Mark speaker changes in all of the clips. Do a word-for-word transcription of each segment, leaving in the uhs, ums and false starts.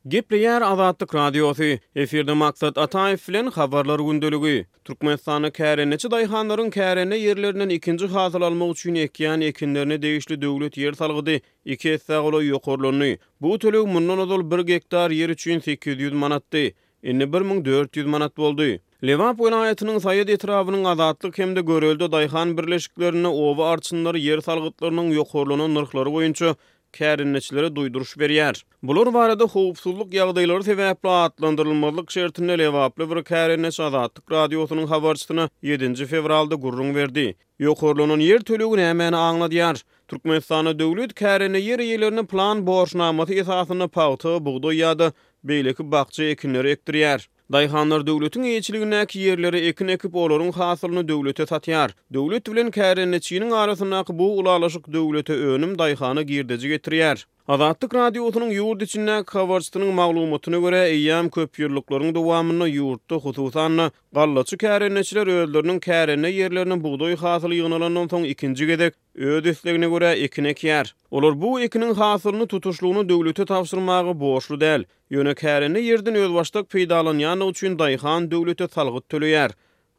Speaker 1: Gepleýär Azatlyk Radiosy. Efirde Maksat Ataýew bilen Habarlar gündeligi. Türkmenistanda kärendeçi daýhanlaryň kärende ýerlerinden ikinji hasyl almak üçin ekýän ekinlerine degişli döwlet ýer salgydy iki essä golaý ýokarlandy. Bu töleg mundan ozal bir gektar ýer üçin sekiz ýüz manatdy. Indi bir müň dört ýüz manat boldy. Lebap welaýatynyň Saýat etrabynyň Azatlyk hem-de Görelde daýhan birleşiklerinde oba arçynlary ýer salgytlarynyň ýokarlanan nyrhlary boýunça kärendeçilere duýduryş berýär. Bular barada howpsuzlyk ýagdaýlary sebäpli atlandyrylmazlyk şertinde lebaply bir kärendeçi Azatlyk Radiosynyň habarçysyna ýedinji fewralda gürrüň berdi. Ýokarlanan ýer tölegi nämäni aňladýar? Türkmenistanda döwlet kärende ýer eýelerine plan borçnamasy esasynda pagta, bugdaý ýa-da beýleki bakja ekinleri ekdirýär. Daýhanlar döwletiň eýeçiligindäki ýerlere ekin ekip, olaryň hasylyny döwlete satýar. Döwlet bilen kärendeçiniň arasyndaky bu ylalaşyk döwlete önüm, daýhana girdeji getirýär. Azatlyk Radiosynyň ýurt içindäki habarçysynyň maglumatyna görä, eýýäm köp ýyllyklaryň dowamynda ýurtda, hususan-da, gallaçy kärendeçiler özleriniň kärende ýerlerine bugdaý hasyly ýygnalandan soň ikinji gezek öz islegine görä ekin ekýär. Olar bu ekiniň hasylyny tutuşlygyna döwlete tabşyrmaga borçly däl. Ýöne kärende ýerden özbaşdak peýdalanýanlygy üçin daýhan döwlete salgyt töleýär.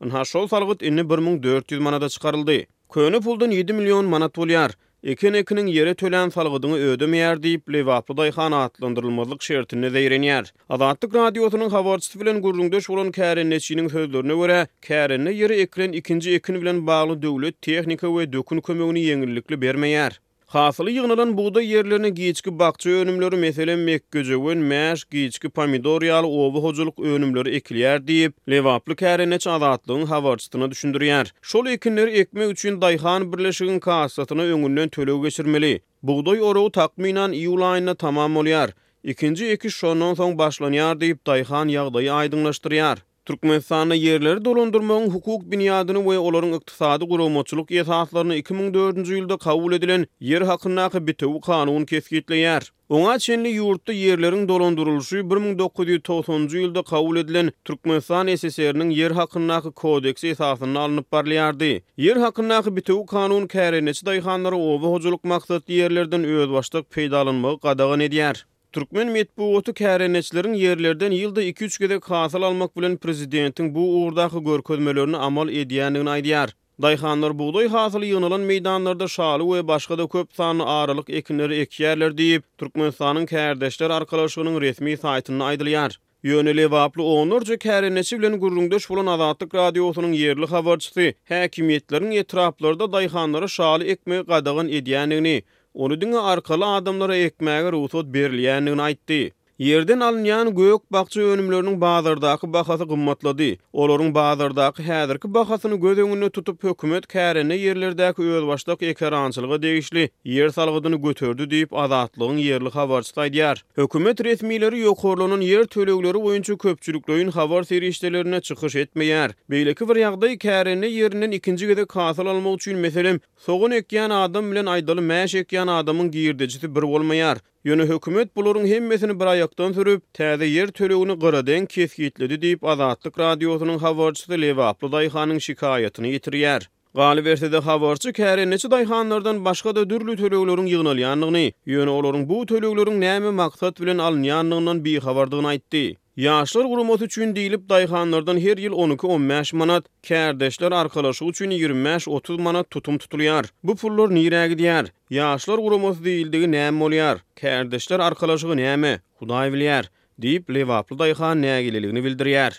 Speaker 1: Ynha şol salgyt indi bir müň dört ýüz manada çykaryldy. Köne puldan ýedi million manat bolýar. Eken ekiniň ýere tölän salgydyňy ödemeýär diýip, lebaply daýhan atlandyrylmazlyk şertinde zeýrenýär. Azatlyk Radiosynyň habarçysy bilen gürrüňdeş bolan kärendeçiniň sözlerine görä, kärende ýere ekilen ikinji ekin bilen bagly döwlet tehnika we dökün kömegini ýeňillikli bermeýär. Hasyly ýygnalan bugdaý ýerlerine giçki bakja önümleri, meselem, mekgejöwen, mäş, giçki pomidor ýaly oba hojalyk önümleri ekilýär diýip, lebaply kärendeçi Azatlygyň habarçysyna düşündirýär. Şol ekinleri ekmek üçin daýhan birleşigiň kassasyna öňünden töleg geçirmeli. Bugdaý oragy takmynan iýul aýynda tamam bolýar. Ikinji ekiş şondan soň başlanýar diýip, daýhan ýagdaýy aýdyňlaşdyrýar. Türkmenistanda ýerleri dolandyrmagyň hukuk binýadyny we olaryň ykdysady guramaçylyk esaslaryny iki müň dördünji ýylda kabul edilen Ýer hakyndaky bitewi kanun kesgitleýär. Oňa çenli ýurtda ýerleriň dolandyrylyşy bir müň dokuz ýüz togsanynjy ýylda kabul edilen Türkmenistan S S R-niň Ýer hakyndaky kodeksi esasynda alnyp barylýardy. Ýer hakyndaky bitewi kanun kärendeçi daýhanlara oba hojalyk maksatly ýerlerden özbaşdak peýdalanmagy gadagan edýär. Türkmen metbugaty kärendeçileriň ýerlerden ýylda iki-üç gezek hasyl almak bilen prezidentiň bu ugurdaky görkezmelerini amal edýändigini aýdýar. Daýhanlar bugdaý hasyly ýygnalan meýdanlarda şaly we başga-da köp sanly aralyk ekinleri ekýärler diýip, Türkmenistanyň Kärdeşler Arkalaşygynyň resmi saýtynda aýdylýar. Ýöne lebaply onlarça kärendeçi bilen gürrüňdeş bolan Azatlyk Radiosynyň ýerli habarçysy häkimiýetleriň etraplarda daýhanlara şaly ekmegi gadagan edýändigini, ony diňe arkaly adamlara ekmäge rugsat berilýändigini aýtdy. Ýerden alynýan gök bakja önümleriniň bazardaky bahasy gymmatlady. Olaryň bazardaky häzirki bahasyny göz öňünde tutup, hökümet kärende ýerlerdäki özbaşdak ekerançylyga degişli ýer salgydyny göterdi diýip, Azatlygyň ýerli habarçysy aýdýar. Hökümet resmileri ýokarlanan ýer tölegleri boýunça köpçülikleýin habar serişdelerine çykyş etmeýär. Beýleki bir ýagdaý kärende ýerinden ikinji gezek hasyl almak üçin, meselem, sogan ekýän adam bilen aýdaly mäş ekýän adamyň girdejisi bir bolmaýar. Ýöne hökümet bularyň hemmesini bir aýakdan sürüp, täze ýer tölegini gyradeň kesgitledi diýip, Azatlyk Radiosynyň habarçysy lebaply daýhanyň şikaýatyny ýetirýär. Galyberse-de habarçy kärendeçi daýhanlardan başga-da dürli tölegleriň ýygnalýandygyny, ýöne olaryň bu tölegleriň näme maksat bilen alynýandygyndan bihabardygyny aýtdy. Ýaşlar guramasy üçin diýlip daýhanlardan her ýyl on iki-on bäş manat, kärdeşler arkalaşygy üçin ýigrimi bäş-otuz manat tutum tutulýar. Bu pullar nirä gidýär? Ýaşlar guramasy diýildigi näme bolýar? Kärdeşler arkalaşygy näme? Hudaý bilýär, diýip, lebaply daýhan nägileligini bildirýär.